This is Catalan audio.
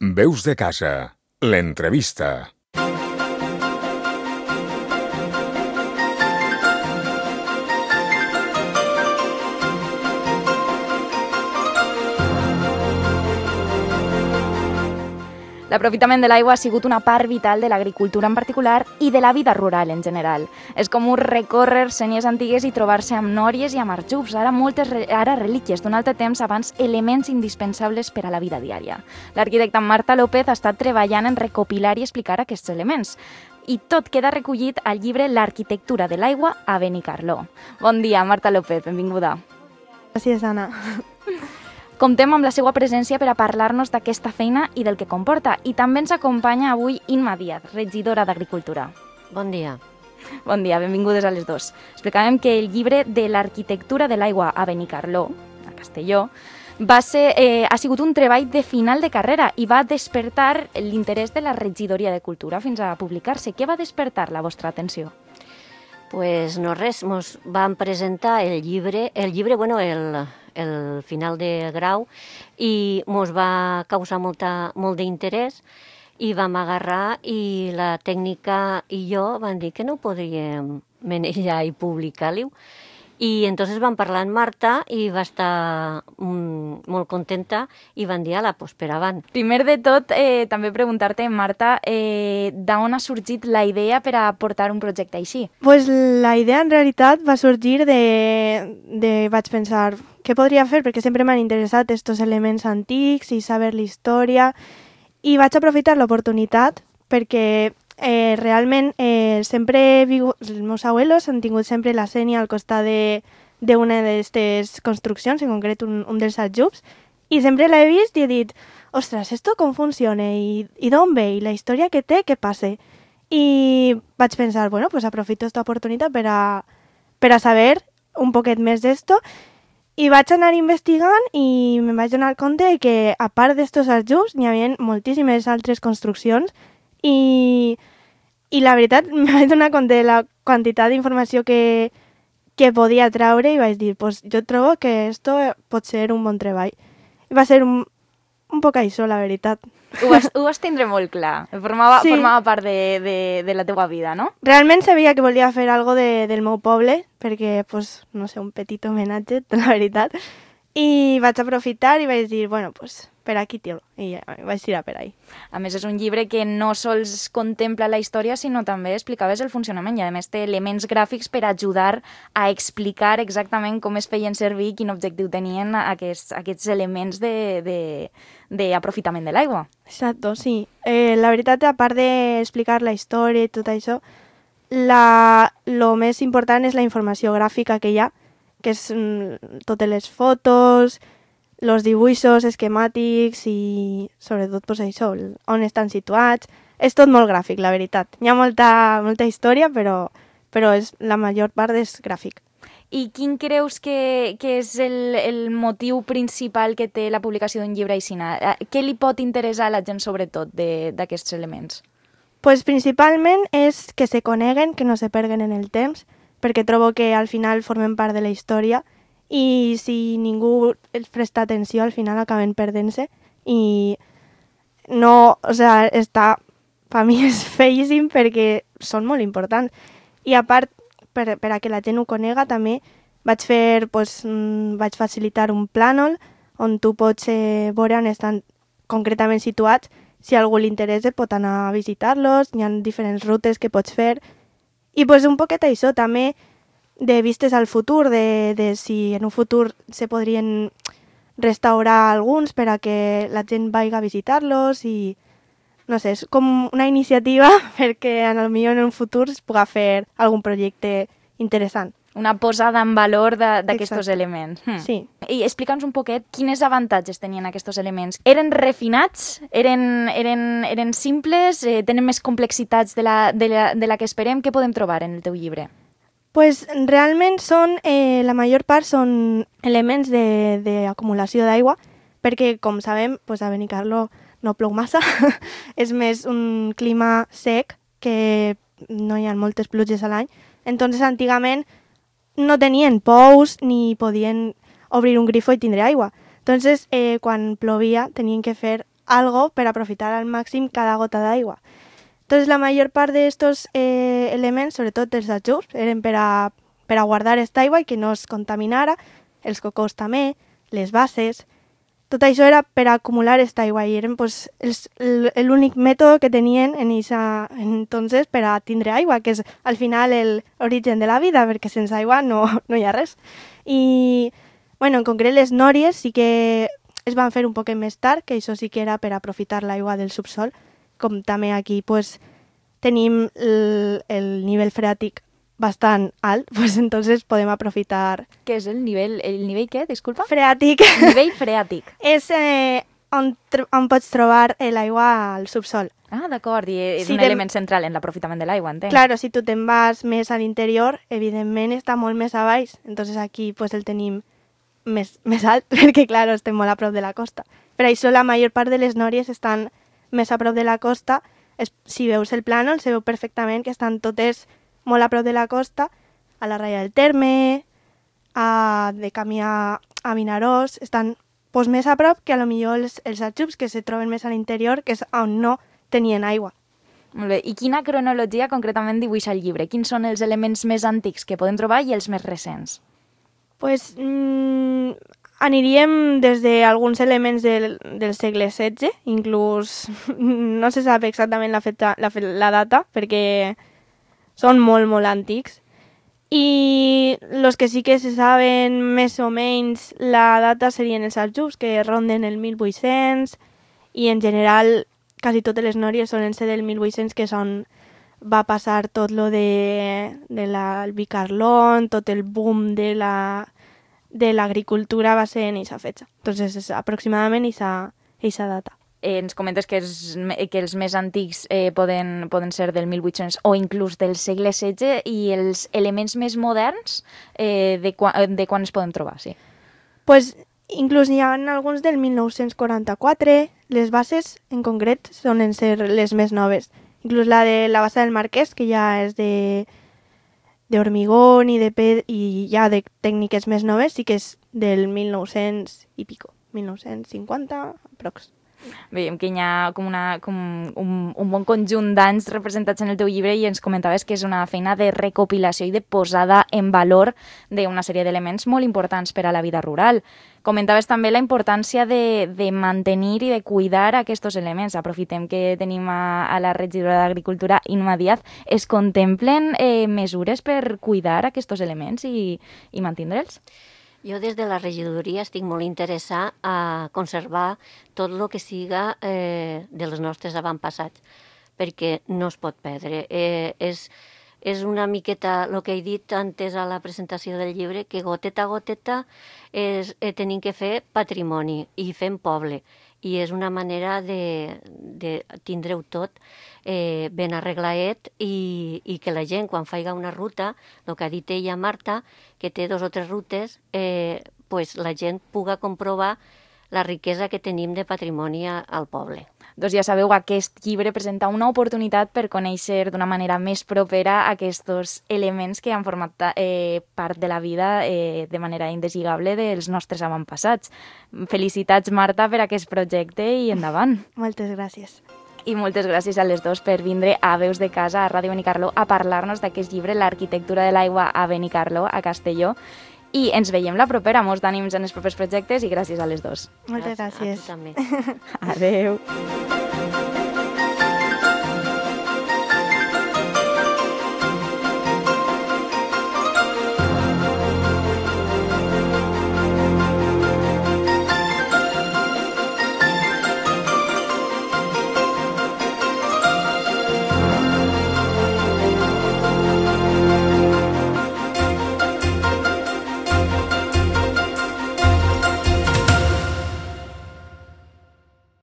Veus de casa, l'entrevista. L'aprofitament de l'aigua ha sigut una part vital de l'agricultura en particular i de la vida rural en general. És com recórrer senyes antigues i trobar-se amb nòries i amb arjubs, ara relíquies d'un altre temps abans elements indispensables per a la vida diària. L'arquitecta Marta López ha estat treballant en recopilar i explicar aquests elements. I tot queda recollit al llibre L'arquitectura de l'aigua a Benicarló. Bon dia, Marta López, benvinguda. Gràcies, Anna. Comptem amb la seva presència per a parlar-nos d'aquesta feina i del que comporta. I també ens acompanya avui Inma Díaz, regidora d'Agricultura. Bon dia. Bon dia, benvingudes a les dos. Explicàvem que el llibre de l'arquitectura de l'aigua a Benicarló, a Castelló, ha sigut un treball de final de carrera i va despertar l'interès de la regidoria de Cultura fins a publicar-se. Què va despertar la vostra atenció? Pues no res, mos van presentar el llibre, el final de grau, i mos va causar molt d'interès i vam agarrar i la tècnica i jo van dir que no ho podríem manejar i publicar-ho. I entonces vam parlar amb Marta i va estar molt contenta i van dir, ala, pues per avant. Primer de tot, també preguntar-te, Marta, d'on ha sorgit la idea per a portar un projecte així? Pues la idea en realitat va sorgir vaig pensar, què podria fer? Perquè sempre m'han interessat estos elements antics i saber la història. I vaig aprofitar l'oportunitat perquè realment sempre els meus abuelos han tingut sempre la sènia al costat d'una d'aquestes construccions, en concret un dels aljubs, i sempre l'he vist i he dit, ostres, esto com funciona i d'on ve i la història que té, què passa? I vaig pensar, bueno, pues aprofito esta oportunitat per a saber un poquet més d'esto i vaig anar investigant i me'n vaig donar compte que a part d'estos aljubs n'hi havia moltíssimes altres construccions i la veritat em vaig donar compte de la quantitat d'informació que podia traure i vaig dir, pues jo trobo que esto pot ser un bon treball. I va ser un poc això, la veritat. Ho vas tindre molt clar, formava part de la teua vida, no? Realment sabia que volia fer algo del meu poble, perquè, pues, no sé, un petit homenatge, la veritat. I vaig aprofitar i vaig dir, bueno, pues per aquí, tio, i vaig tirar per ahí. A més, és un llibre que no sols contempla la història, sinó també explicaves el funcionament i, a més, té elements gràfics per ajudar a explicar exactament com es feien servir i quin objectiu tenien aquests elements d'aprofitament de l'aigua. Exacto, sí. La veritat, a part d'explicar la història i tot això, lo més important és la informació gràfica que hi ha, que és totes les fotos, els dibuixos esquemàtics i sobretot pues, això, on estan situats. És tot molt gràfic, la veritat. Hi ha molta història, però la major part és gràfic. I quin creus que és el motiu principal que té la publicació d'un llibre així? Què li pot interessar a la gent sobretot d'aquests elements? Pues principalment és que se coneguen, que no se perguen en el temps, perquè trobo que al final formen part de la història i si ningú els presta atenció al final acaben perdent-se i no, o sea, per mi és feíssim perquè són molt importants i a part per a que la gent ho conega també vaig facilitar un plànol on tu pots veure on estan concretament situats. Si a algú li interessa pot anar a visitar-los, hi ha diferents rutes que pots fer i pues, un poquet això també de vistes al futur, de si en un futur se podrien restaurar alguns per a que la gent vagi a visitar-los i no sé, és com una iniciativa perquè potser en un futur es pugui fer algun projecte interessant. Una posada en valor d'aquests elements. Sí. I explica'ns un poquet quines avantatges tenien aquests elements. Eren refinats? Eren simples? Tenen més complexitats de la que esperem? Què podem trobar en el teu llibre? Pues realment la major part són elements d'acumulació d'aigua, perquè com sabem, pues a Benicarló no plou massa, és més un clima sec, que no hi ha moltes pluges a l'any. Entonces, antigament no tenien pous ni podien obrir un grifo i tindre aigua. Entonces, quan plovia, tenien que fer algo per aprofitar al màxim cada gota d'aigua. Entonces, la mayor part d'estos elements, sobretot els aljubs, eren per a guardar esta aigua i que no es contaminara, els cocos també, les bases. Tot això era per acumular esta aigua i eren pues, l'únic mètode que tenien entonces per a tindre aigua, que és al final l'origen de la vida, perquè sense aigua no hi ha res. I, bueno, en concret les nòries sí que es van fer un poc més tard, que això sí que era per aprofitar l'aigua del subsol, com també aquí pues, tenim el nivell freàtic bastant alt, pues entonces podem aprofitar... Què és el nivell què? Disculpa? Freàtic. Nivell freàtic. És on pots trobar l'aigua al subsol. Ah, d'acord, i és Si un element central en l'aprofitament de l'aigua, entenc. Claro, si tu te'n vas més a l'interior, evidentment està molt més a baix, entonces aquí pues, el tenim més alt, perquè claro, estem molt a prop de la costa. Per això la major part de les nòries estan més a prop de la costa. Si veus el plànol, se veu perfectament que estan totes molt a prop de la costa, a la Raya del Terme, de camí a Vinaròs, estan pues, més a prop que a lo millor els aljubs que se troben més a l'interior, que és on no tenien aigua. Molt bé. I quina cronologia concretament dibuixa el llibre? Quins són els elements més antics que podem trobar i els més recents? Pues aniríem des d'alguns elements del segle XVI, inclús no se sap exactament la data, perquè són molt, molt antics. I els que sí que se saben més o menys la data serien els aljubs, que ronden el 1800, i en general quasi totes les nòries solen ser del 1800, que és on va passar tot lo de l'albicarlón, tot el boom de l'agricultura va ser en eixa fecha. Entonces, és aproximadament eixa data. Ens comentes que els més antics poden ser del 1800 o inclús del segle XVI, i els elements més moderns de quan es poden trobar, sí? Pues, inclús n'hi ha alguns del 1944, les bases en concret solen ser les més noves. Inclús la de la base del Marquès, que ja és de hormigón i ja de tècniques més noves, sí que és del 1900 i pico, 1950 aprox. Veiem que hi ha com un bon conjunt d'anys representats en el teu llibre, i ens comentaves que és una feina de recopilació i de posada en valor d'una sèrie d'elements molt importants per a la vida rural. Comentaves també la importància de mantenir i de cuidar aquests elements. Aprofitem que tenim a la regidora d'Agricultura, Inma Díaz. Es contemplen mesures per cuidar aquests elements i mantindre'ls? Jo des de la regidoria estic molt interessada a conservar tot el que siga dels nostres avantpassats, perquè no es pot perdre. És una miqueta el que he dit antes a la presentació del llibre, que goteta a goteta tenim que fer patrimoni i fem poble. I és una manera de tindre-ho tot ben arreglaet i que la gent, quan faiga una ruta, el que ha dit ella, Marta, que té 2 o 3 rutes, pues la gent puga comprovar la riquesa que tenim de patrimoni al poble. Doncs ja sabeu, aquest llibre presenta una oportunitat per conèixer d'una manera més propera aquests elements que han format part de la vida de manera indeslligable dels nostres avantpassats. Felicitats, Marta, per aquest projecte i endavant. Moltes gràcies. I moltes gràcies a les dos per vindre a Veus de Casa, a Ràdio Benicarló, a parlar-nos d'aquest llibre, L'arquitectura de l'aigua a Benicarló, a Castelló. I ens veiem la propera. Molts d'ànims en els propers projectes i gràcies a les dos. Moltes gràcies. A tu també. Adeu.